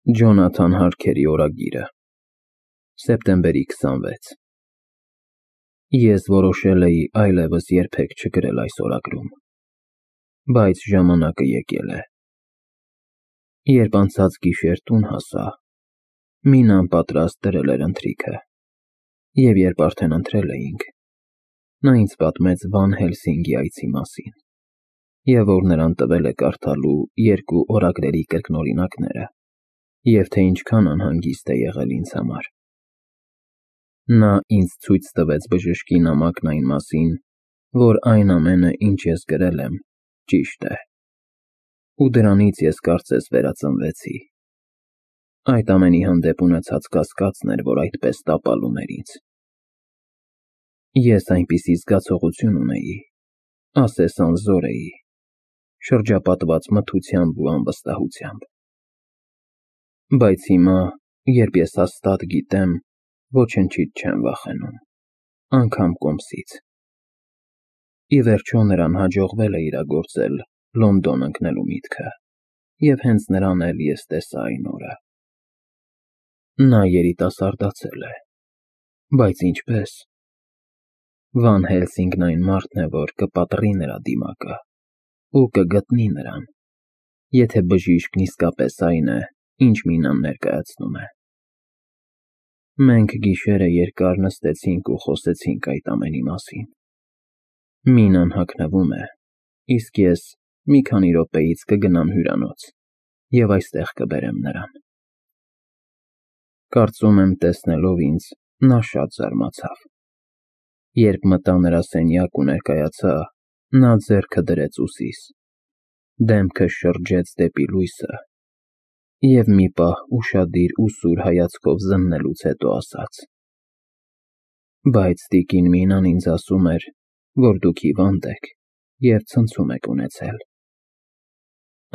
Ջոնաթան Հարքերի օրագիրը, սեպտեմբերի 26 Ես որոշել էի այլևս երբեք չգրել այս օրագրում, բայց ժամանակը եկել է։ Երբ անցած գիշեր տուն հասա, Մինան պատրաստ դրել էր ընթրիքը, և երբ արդեն ընթրել էինք, նա ինձ պատմեց Վան Հելսինգի այցի մասին, և որ նրան տվել է կարդալու 2 օրագրերի կրկնօրինակները, և թե ինչքան անհանգիստ է եղել ինձ համար։ Նա ինձ ցույց տվեց բժշկի նամակն այն մասին, որ այն ամենը, ինչ ես գրել եմ, ճիշտ է, ու դրանից ես կարծես վերածնվեցի։ Այդ ամենի հանդեպ ունեցած կասկածն էր, որ այդպես տապալում էր ինձ։ Ես այնպիսի զգացողություն ունեի, ասես անզոր էի, շրջապատված մթությամբ ու անվստահությամբ։ Բայց հիմա, երբ ես հաստատ գիտեմ, ոչնչից չեմ վախենում, անգամ կոմսից։ Ի վերջո նրան հաջողվել է իրագործել Լոնդոն ընկնելու միտքը, և հենց նրան էլ ես տեսա այն օրը։ Նա երիտասարդացել է, բայց ինչպե՞ս։ Վան Հելսինգն այն մարդն է, որ կպատռի նրա դիմակը ու կգտնի նրան, եթե բժիշկն իսկապես այն է, ինչ Մինան ներկայացնում է։ Մենք գիշերը երկար նստեցինք ու խոսեցինք այդ ամենի մասին։ Մինան հագնվում է, իսկ ես մի քանի րոպեից կգնամ հյուրանոց և այստեղ կբերեմ նրան։ Կարծում եմ, տեսնելով ինձ, նա շատ զարմացավ։ Երբ մտա նրա սենյակ ու ներկայացա, նա ձեռքը դրեց ուսիս, դեմքը շրջեց դեպի լույսը և մի պահ ուշադիր ու սուր հայացքով զննելուց հետո ասաց. Բայց տիկին Մինան ինձ ասում էր, որ դուք հիվանդ եք և ցնցում եք ունեցել։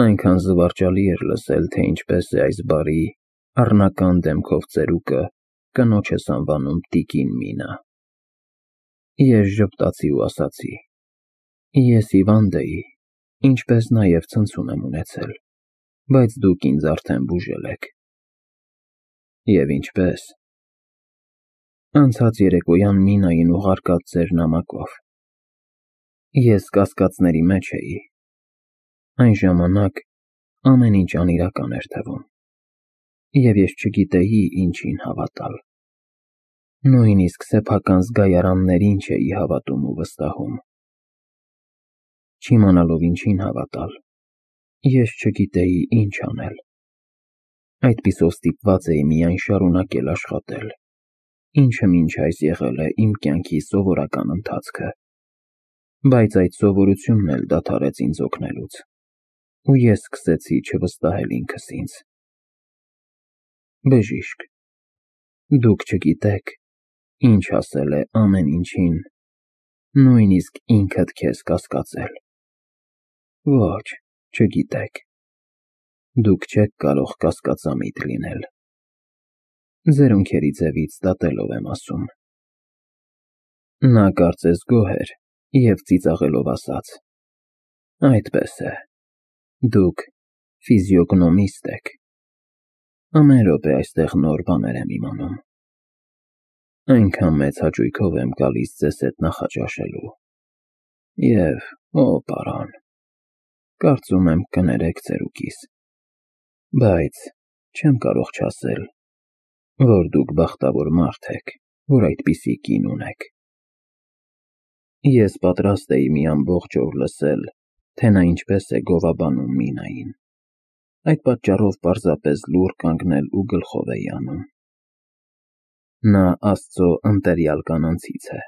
Այնքան զվարճալի էր լսել, թե ինչպես է այս բարի, առնական դեմքով ծերուկը կնոջս անվանում տիկին Մինա։ Ես ժպտացի ու ասացի. Ես հիվանդ էի, ինչպես նաև ցնցում եմ ունեցել, բայց դուք ինձ արդեն բուժել եք։ Եվ ինչպե՞ս։ Անցած երեկոյան Մինային ուղարկած ձեր նամակով։ Ես կասկածների մեջ էի։ Այն ժամանակ ամեն ինչ անիրական էր թվում, և ես չգիտեի ինչին հավատալ։ Նույնիսկ սեփական զգայարաններին չէի հավատում ու վստահում։ Չիմանալով ինչին հավատալ, ես չգիտեի ինչ անել։ Այդպիսով ստիպված էի միայն շարունակել աշխատել, ինչը մինչ այս եղել է իմ կյանքի սովորական ընթացքը։ Բայց այդ սովորությունն էլ դադարեց ինձ օգնելուց, ու ես սկսեցի չվստահել ինքս ինձ։ Բժիշկ, դուք չգիտեք, ինչ ասել է ամեն ինչին, նույնիսկ ինքդ քեզ կասկածել։ Ոչ, չգիտեք։ Դուք չեք կարող կասկածամիտ լինել։ Ձերունքերի ձևից դատելով եմ ասում։ Նա կարծես գոհ էր և ծիծաղելով ասաց. Այդպես է, դուք ֆիզիոգնոմիստ եք։ Ամեն րոպե այստեղ նոր բաներ եմ իմանում։ Այնքան մեծ հաճույքով եմ գալիս ձեզ հետ նախաճաշելու։ Եվ, օ պարոն, կարծում եմ կներեք ծերուկիս, բայց չեմ կարող չասել, որ դուք բախտավոր մարդ եք, որ այդպիսի կին ունեք։ Ես պատրաստ էի մի ամբողջ օր լսել, թե նա ինչպես է գովաբանում Մինային։ Այդ պատճառով պարզապես լուռ կանգնել ու գլխով էի անում։ Նա Աստծո ընտելյալ կանանցից է,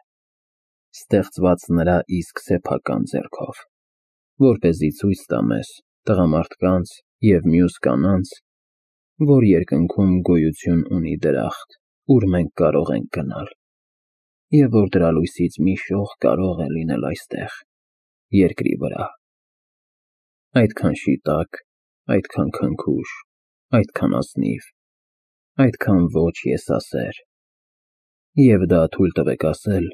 ստեղծված նրա իսկ սեփական ձեռքով, որպեսզի ցույց տա մեզ, տղամարդկանց և մյուս կանանց, որ երկնքում գոյություն ունի դրախտ, ուր մենք կարող ենք գնալ, և որ դրա լույսից մի շող կարող է լինել այստեղ, երկրի վրա։ Այդքան շիտակ, այդքան քնքուշ, այդքան ազնիվ, այդքան ոչ եսասեր։ Եվ դա, թույլ տվեք ասել,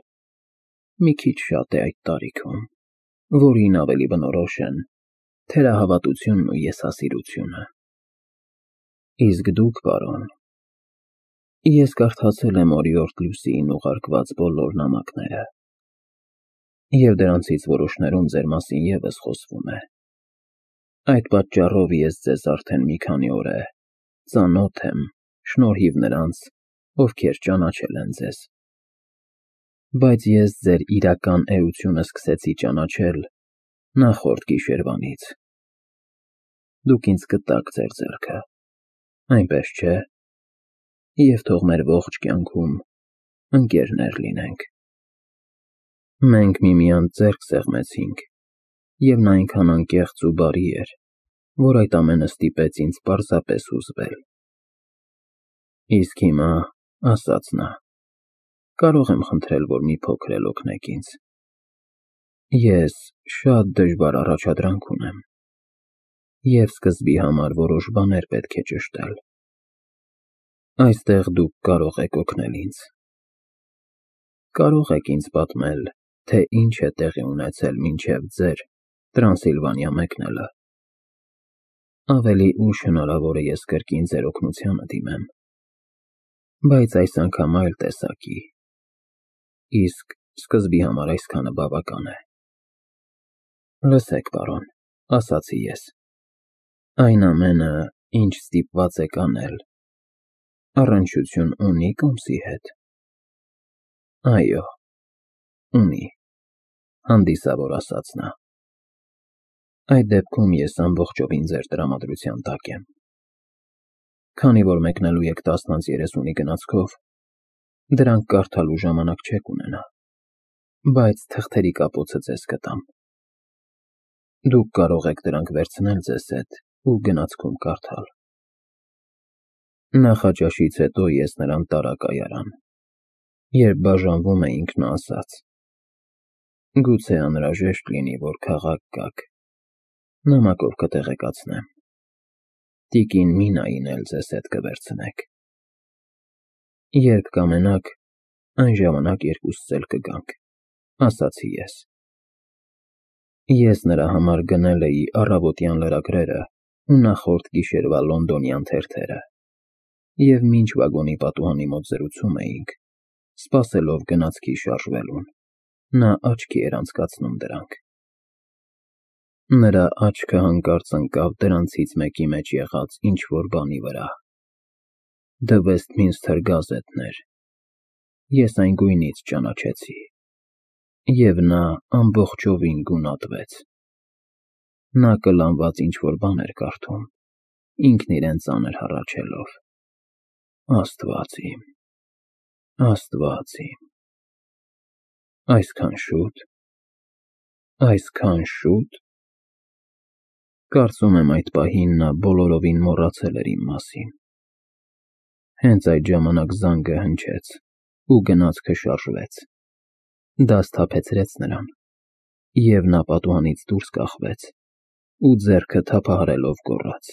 մի քիչ շատ է այդ տարիքում, որին ավելի բնորոշ են թերահավատությունն ու եսասիրությունը։ Իսկ դուք, պարոն, ես կարդացել եմ օրիորդ Լուսիին ուղարկված բոլոր նամակները, և դրանցից որոշներում ձեր մասին ևս խոսվում է։ Այդ պատճառով ես ձեզ արդեն մի քանի օր է ծանոթ եմ, շնորհիվ նրանց, ովքեր ճանաչել են ձեզ։ Բայց ես ձեր իրական էությունը սկսեցի ճանաչել նախորդ գիշերվանից։ Դուք ինձ կտաք ձեր ձեռքը, այնպես չէ՞, և թող մեր ողջ կյանքում ընկերներ լինենք։ Մենք միմյանց ձեռք սեղմեցինք, և նա այնքան անկեղծ ու բարի էր, որ այդ ամենը ստիպեց ինձ պարզապես հուզվել։ Իսկ հիմա, ասաց նա, կարող եմ խնդրել, որ մի փոքր էլ օգնեք ինձ։ Ես շատ դժվար առաջադրանք ունեմ, և սկզբի համար որոշ բաներ պետք է ճշտել։ Այստեղ դուք կարող եք օգնել ինձ։ Կարող եք ինձ պատմել, թե ինչ է տեղի ունեցել մինչև ձեր Տրանսիլվանիա մեկնելը։ Ավելի ուշ հնարավոր է ես կրկին ձեր օգնությանը դիմեմ, բայց այս անգամ այլ տեսակի, իսկ սկզբի համար այսքանը բավական է։ Լսեք, պարոն, ասացի ես, այն ամենը, ինչ ստիպված եք անել, առնչություն ունի Կոմսի հետ։ Այո, ունի, հանդիսավոր ասաց նա։ Այդ դեպքում ես ամբողջովին ձեր տրամադրության տակ եմ։ Քանի որ մեկնելու եք 10:30-ի գնացքով, դրանք կարդալու ժամանակ չեք ունենա, բայց թղթերի կապոցը ձեզ կտամ։ Դուք կարող եք դրանք վերցնել ձեզ հետ ու գնացքում կարդալ։ Նախաճաշից հետո ես նրան տարա կայարան, երբ բաժանվում էինք, նա ասաց. գուցե անհրաժեշտ լինի, որ քաղաք գաք, նամակով կտեղեկացնեմ։ Տիկին Մինային էլ ձեզ հետ կվերցնեք։ Երբ կամենաք, այն ժամանակ երկուսս էլ կգանք, ասացի ես։ Ես նրա համար գնել էի առավոտյան լրագրերը ու նախորդ գիշերվա լոնդոնյան թերթերը, և մինչ վագոնի պատուհանի մոտ զրուցում էինք, սպասելով գնացքի շարժվելուն, նա աչքի էր անցկացնում դրանք։ Նրա աչքը հանկարծ ընկավ դրանցից մեկի մեջ եղած ինչ-որ բանի վրա։ The Westminster Gazette-ն էր։ Ես այն գույնից ճանաչեցի, և նա ամբողջովին գունատվեց։ Նա կլանված ինչ-որ բան էր կարդում, ինքն իրեն ծանր հառաչելով։ Աստված իմ, Աստված իմ, այսքան շո՞ւտ, այսքան շո՞ւտ։ Կարծում եմ այդ պահին նա բոլորովին մոռացել էր իմ մասին։ Հենց այդ ժամանակ զանգը հնչեց, ու գնացքը շարժվեց։ Դա սթափեցրեց նրան, և նա պատուհանից դուրս կախվեց ու ձեռքը թափահարելով գոռաց.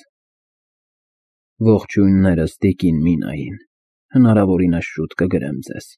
Ողջույններս տիկին Մինային, հնարավորինս շուտ կգրեմ ձեզ։